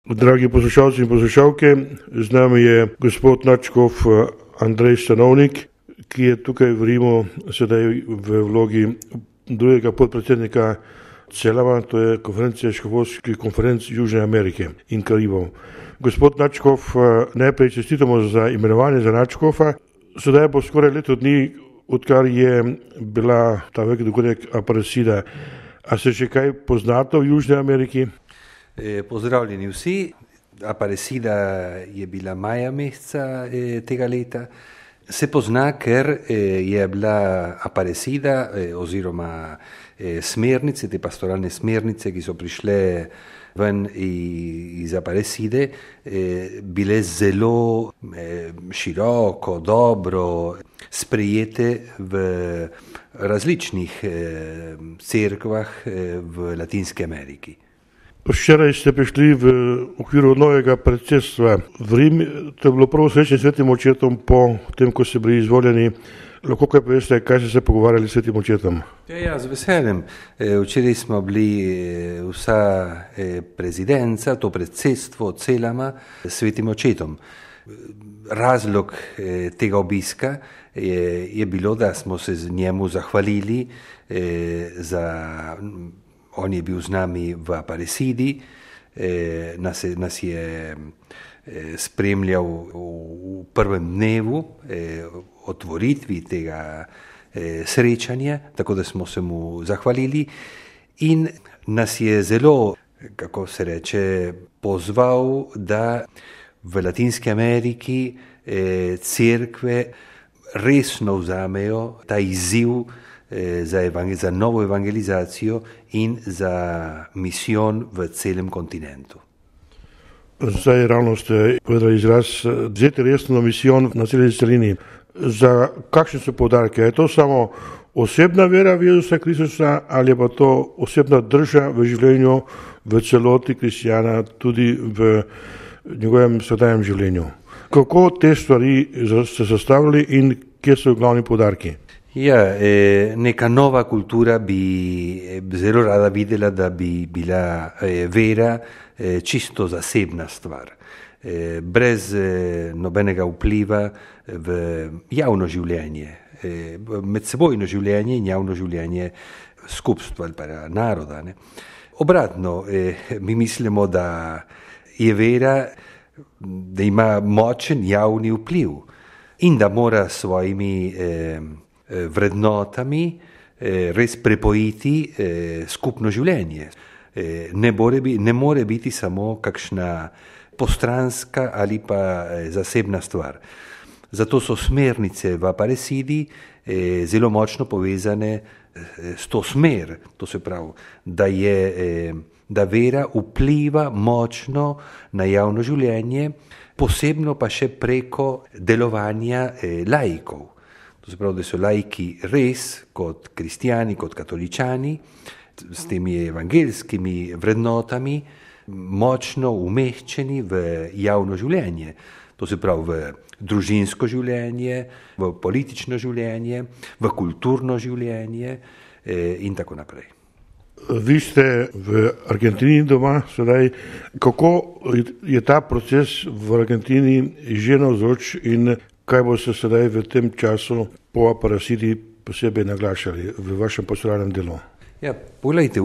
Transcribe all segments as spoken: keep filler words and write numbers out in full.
Dragi poslušalci in poslušalke, z nami je gospod nadškof Andrej Stanovnik, ki je tukaj v Rimu sedaj v vlogi drugega podpredsednika CELAM-a, to je konferencija škofovskih konferenc Južne Amerike in Karibov. Gospod nadškof, najprej čestitamo za imenovanje za nadškofa. Sedaj bo skoraj leto dni, odkar je bila ta veliki dogodek Aparecida. A se še kaj poznate v Južni Ameriki? Pozdravljeni vsi. Aparecida je bila maja meseca tega leta. Se pozna, ker je bila Aparecida oziroma smernice, te pastoralne smernice, ki so prišle ven iz Aparecide, bile zelo široko, dobro sprejete v različnih cerkvah v Latinski Ameriki. Včeraj ste prišli v okviru novega predsedstva v Rim, to je bilo prvo srečanje s Svetim očetom po tem, ko ste bili izvoljeni. Lahko kaj poveste, kaj ste se pogovarjali s Svetim očetom? Ja, ja, z veseljem. Včeraj smo bili vsa prezidenca, to predsedstvo CELAM-a s Svetim očetom. Razlog tega obiska je, je bilo, da smo se z njemu zahvalili za... On je bil z nami v Aparecidi, eh, nas, nas je eh, spremljal v, v prvem dnevu eh, otvoritvi tega eh, srečanja, tako da smo se mu zahvalili in nas je zelo, kako se reče, pozval, da v Latinski Ameriki eh, cerkve resno vzamejo ta izziv Za, evangel- za novo evangelizacijo in za misijon v celem kontinentu. Zdaj ravno ste povedali izraz vzeti resno misijon na celi celini. Za kakšne so poudarke? Je to samo osebna vera v Jezusa Kristusa ali je pa to osebna drža v življenju v celoti kristjana, tudi v njegovem vsakdanjem življenju? Kako te stvari ste sestavili in kje so glavni poudarki? Ja, neka nova kultura bi zelo rada videla, da bi bila vera čisto zasebna stvar, brez nobenega vpliva v javno življenje, medsebojno življenje in javno življenje skupstva ali pa naroda. Ne. Obratno, mi mislimo, da je vera, da ima močen javni vpliv in da mora svojimi vrednotami res prepojiti skupno življenje. Ne more, ne more biti samo kakšna postranska ali pa zasebna stvar. Zato so smernice v Aparecidi zelo močno povezane s to smer, to se pravi, da, je, da vera vpliva močno na javno življenje, posebno pa še preko delovanja laikov. To se pravi, da so laiki res kot kristjani, kot katoličani, s temi evangelskimi vrednotami močno umeščeni v javno življenje. To se pravi v družinsko življenje, v politično življenje, v kulturno življenje in tako naprej. Vi ste v Argentini doma sedaj. Kako je ta proces v Argentini že navzoč in kaj bo se sedaj v tem času po Aparecidi posebej naglašali v vašem pastoralnem delu? Ja, poglejte,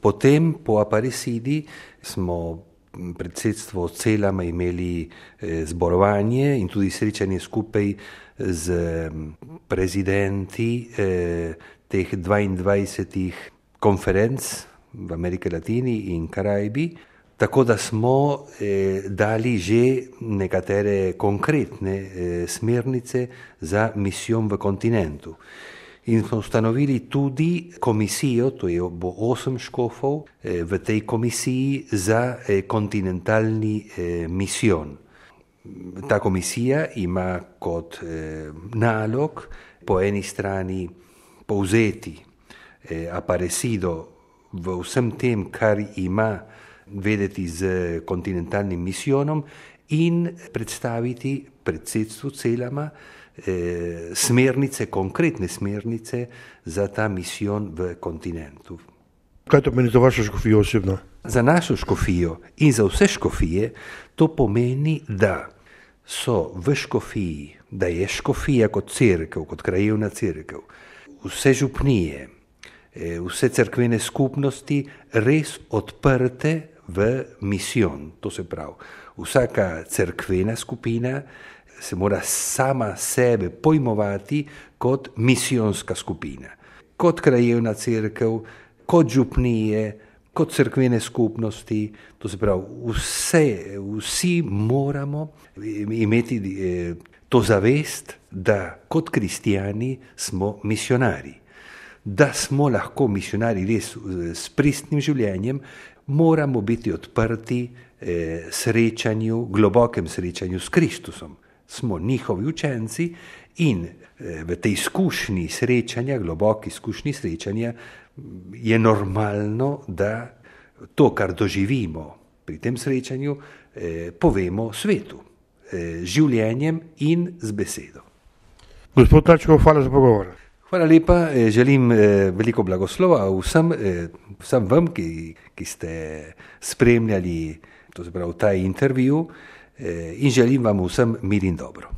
potem po Aparecidi smo predsedstvo CELAM-a imeli zborovanje in tudi srečanje skupaj z prezidenti teh dvaindvajsetih konferenc v Ameriki Latini in Karibi. Tako da smo eh, dali že nekatere konkretne eh, smernice za misijon v kontinentu. In smo ustanovili tudi komisijo, to je bo osem škofov, eh, v tej komisiji za eh, kontinentalni eh, misijon. Ta komisija ima kot eh, nalog po eni strani povzeti eh, Aparecido v vsem tem, kar ima vedeti z kontinentalnim misijonom in predstaviti predsedstvu CELAM-a eh, smernice, konkretne smernice za ta misijon v kontinentu. Kaj to meni za vašo škofijo osebno? Za našo škofijo in za vse škofije to pomeni, da so v škofiji, da je škofija kot cerkev, kot krajevna cerkev, vse župnije, vse cerkvene skupnosti res odprte v misijon. To se pravi, vsaka cerkvena skupina se mora sama sebe pojmovati kot misijonska skupina, kot krajevna cerkev, kot župnije, kot cerkvene skupnosti. To se pravi, vse, vsi moramo imeti to zavest, da kot kristijani smo misionari. Da smo lahko misionari res s pristnim življenjem, moramo biti odprti eh, srečanju, globokem srečanju s Kristusom. Smo njihovi učenci in eh, v tej izkušnji srečanja, globoki izkušnji srečanja, je normalno, da to, kar doživimo pri tem srečanju, eh, povemo svetu, eh, življenjem in z besedo. Gospod Tačkov, hvala za pogovor. Hvala lepa, želim veliko blagoslova vsem, vsem vam, ki, ki ste spremljali to se pravi, ta intervju in želim vam vsem mir in dobro.